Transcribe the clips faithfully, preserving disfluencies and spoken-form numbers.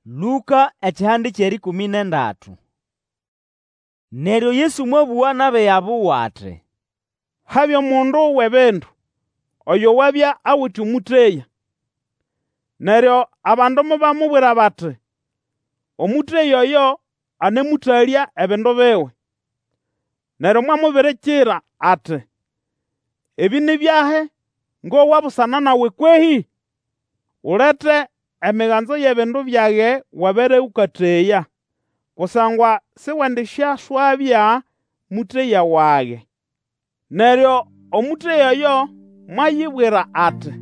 Lũka ekihande ky'erĩkũmĩ n'endatu. Neryo Yesu mwabũga n'abiga buwe ati, Habya omundu w'ebindu, oyo wabya awite omũteya. Neryo abandu mobamubwira bati, Omũteya oyo anemũtalya ebindu biwe. Neryo mwamubirikira ati, Ebĩ ni byahi ngowa busana nawe kwehĩ? Ulete emiganzo y'ebindu byage wabere ũkateya, kusangwa siwendisyaswabya mũteya wage. Neryo omũteya oyo mwayibwira ati,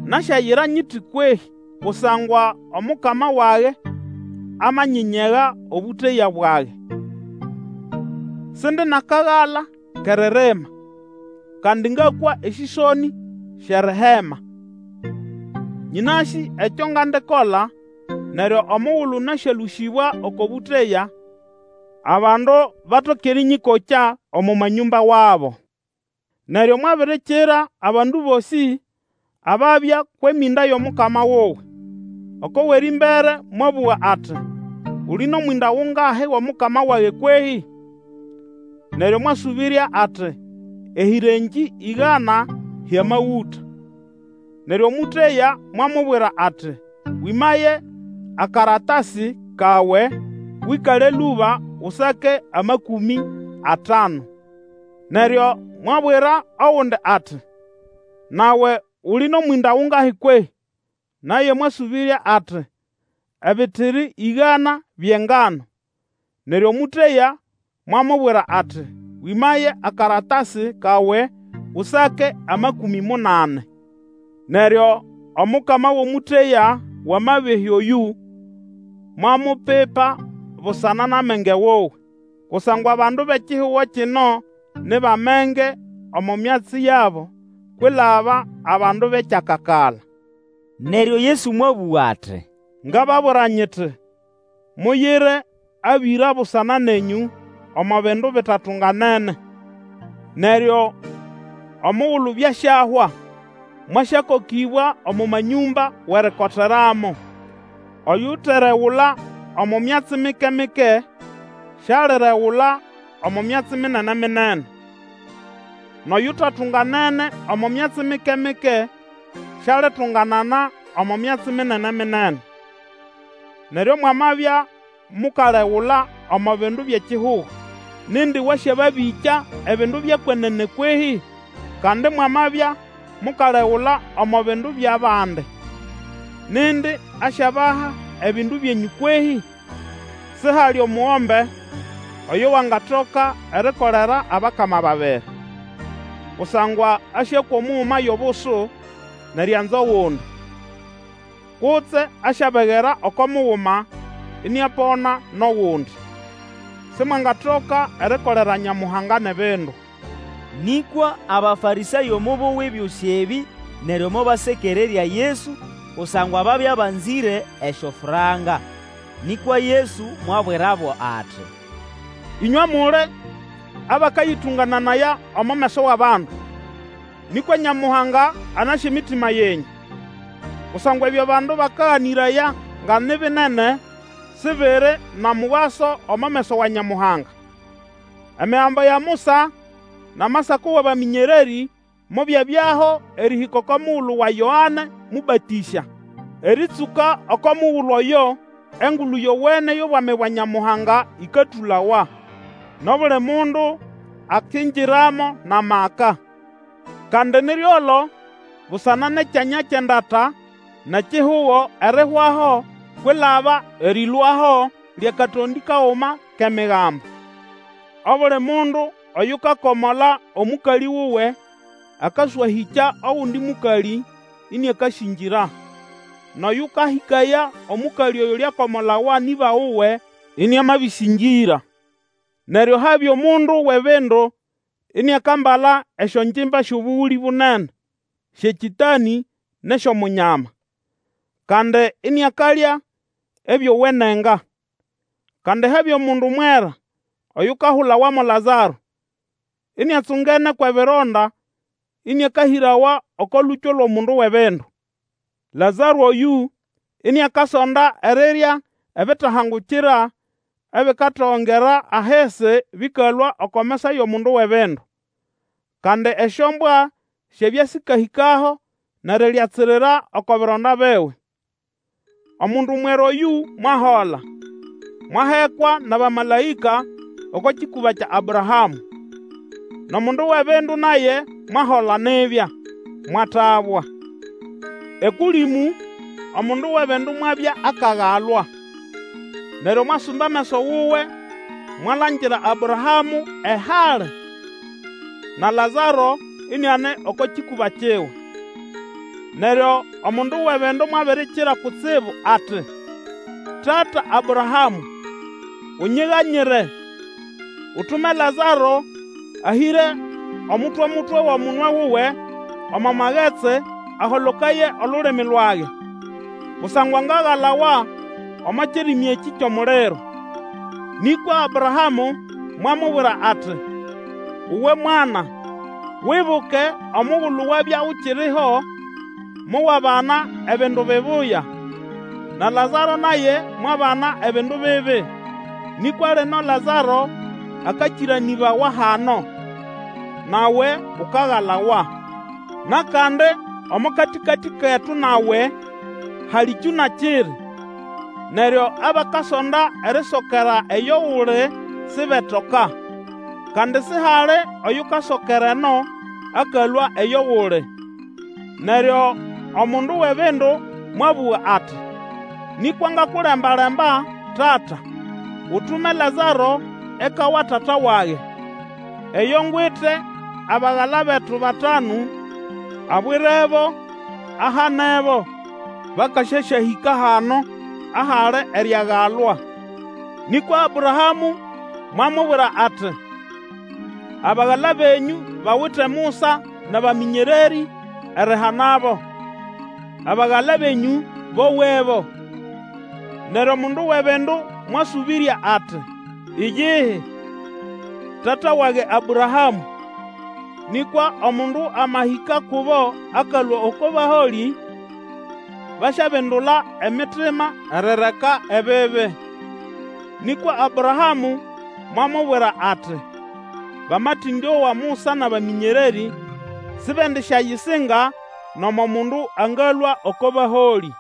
Nasyayira nyiti kwehĩ? Kusangwa omukama wage amanyinyega obũteya bwage. Sindi n'akagala k'eririma, kandi ngakwa esĩsonĩ sy'erihema. Nyĩnasĩ ekyo ngandikola, neryo omugulu nasyalũsĩbwa oko bũteya, abandu batoke erĩnyĩkokya omo manyũmba wabo. Neryo mwabirikira abandu bosĩ ababya kw'emĩnda y'omukama wuwe. Oko w'erĩmbere mwabũga ati, Uli n'omwĩnda gungahi g'omukama wage kwehĩ? Neryo mwasũbĩrya ati, Ehĩrengĩ ĩgana hy'amagũta. Neryo omũteya mwamubwira ati, Wĩmaye akaratasi kawe, wĩkale lũba usake amakũmĩ atanu. Neryo mwabwira ogundi ati, Nawe uli n'omwĩnda gungahi kwehĩ? Naye mwasũbĩrya ati, Ebitiri ĩgana by'engano. Neryo omũteya mwamubwira ati, Wĩmaye akaratasi kawe, usake amakũmĩ munani. Neryo omukama w'omũteya w'amabehya oyũ mwamupipa busana n'amenge wuwe. Kusangwa abandu b'ekihugo kino ni b'amenge omo myatsi yabo kwilaba abandu b'ekyakakala. Neryo Yesu mwabũga ati, Ngababwira nyiti, Muyire abĩra busana nenyũ omo bindu bitatunganene. Neryo omugulu byasyahwa, mwasyakokĩbwa omo manyũmba w'erikoteramo. Oyuteregula omo myatsi mike-mike, sialiregula omo myatsi minene-minene. N'oyutatunganene omo myatsi mike-mike, sialitunganana omo myatsi minene-minene. Neryo mwamabya mukalegula omo bindu by'ekihugo, nindi wasyababĩkya ebindu by'ekwenene kwehĩ? Kandi mwamabya mukalegula omo bindu by'abandi, nindi asyabaha ebindu byenyũ kwehĩ? Sihali omugombe oyo wangatoka erikolera abakama babiri. Kusangwa asyakwa omuguma y'obusu n'erianza ogundi, kutse asyabegera oko muguma iniapona n'ogundi. Simwangatoka erikolera Nyamuhanga n'ebindu. Nĩkwa Abafarĩsayo mobowa ebyosĩ ebĩ, neryo mobasekererya Yesu, kusangwa babya banzĩre esyofranka. Nĩkwa Yesu mwabwirabo ati, Ĩnywe muli abakayĩtũngananaya omo meso w'abandu, nĩkwa Nyamuhanga anasĩ emitima yenyũ. Kusangwa ebyo abandu bakaganĩraya nga ni binene, sibiri n'omugaso omo meso wa Nyamuhanga. Emigambo ya Musa n'Amasako w'abamĩnyererĩ mobyabyaho erĩhĩka oko mugulu wa Yoane Mũbatĩsya. Erĩtsũka oko mugulu oyo, Engulu Yowene y'obwami bwa Nyamuhanga ĩkatũlawa, n'obuli mundu akingiramo n'amaka. Kandi ni ryolo busana n'ekyanya ky'endata n'ekihugo erihwaho kwilaba erĩlũaho ly'akatondĩ kaguma k'Emigambo. Obuli mundu oyukakomola omũkalĩ wuwe akaswahĩkya ogundi mũkalĩ, ĩnĩakasĩngĩra. N'oyũkahĩkaya omũkalĩ oyo uliakomolawa n'ĩba wuwe, iniamabĩsĩngĩra. Neryo habya omundu w'ebindu iniakambala esyongimba sy'obũgũlĩ bunene, sy'ekĩtanĩ n'esy'omunyama, kandi iniakalya ebyowenenga. Kandi habya omundu mwera oyukahulawa mo Lazaro, iniatsungene kw'ebironda ĩnĩakahĩrawa oko lũkyo lw'omundu w'ebindu. Lazaro oyũ iniakasonda erirya ebitahangukira ebikatogongera ahisi bĩkalũa oko mesa y'omundu w'ebindu. Kandi esyombwa syabya sĩkahĩkaho n'erilyatsirira oko bironda biwe. Omundu mwera oyũ mwahola, mwahekwa n'abamalaĩka oko kĩkũba kya Abrahamũ. N'omundu w'ebindu naye mwahola nibya, mwatabwa. Ekũlĩmũ omundu w'ebindu mwabya akagalwa, neryo mwasumba ameso wuwe mwalangira Abrahamũ ehali, na Lazaro iniane oko kĩkũba kiwe. Neryo omundu w'ebindu mwabirikira kutsibu ati, Tata Abrahamũ, unyiganyire, utume Lazaro ahĩre omutwe-mutwe w'omunwe wuwe omo magetsi aholokaye olulimi lwage, kusangwa ngagalawa omo kirimi ekĩ ky'omuliro. Nĩkwa Abrahamũ mwamubwira ati, Uwe mwana, wibuke omugulu wabya ukiriho, mowabana ebindu bibuya, na Lazaro naye mwabana ebindu bibi. Nĩkwa lino Lazaro akakĩranĩbawa hano, nawe ukagalawa. N'akandi omo katĩkatĩ ketu nawe hali kyũna kiri, neryo abakasonda erisokera eyo uli sibetoka, kandi sihali oyukasokera eno akalũa eyo uli. Neryo omundu w'ebindu mwabũga ati, Nĩkwa ngakulemba-lemba, tata, utume Lazaro eka wa tata wage, eyo ngwite abagala betu batanu, abwirebo, ahanebo, bakasyasyahĩka hano ahali eriagalwa. Nĩkwa Abrahamũ mwamubwira ati, Abagala benyũ bawite Musa n'abamĩnyererĩ erihanabo. Abagala benyũ bowebo. Neryo omundu w'ebindu mwasũbĩrya ati, Iyihi, tata wage Abrahamũ, nĩkwa omundu amahĩka kubo akalũa oko baholĩ, basyabindula emitima erireka ebibi. Nĩkwa Abrahamũ mwamubwira ati, Bamatĩndyowa Musa n'abamĩnyererĩ, sibendisyayisinga nomo mundu angalũa oko baholĩ.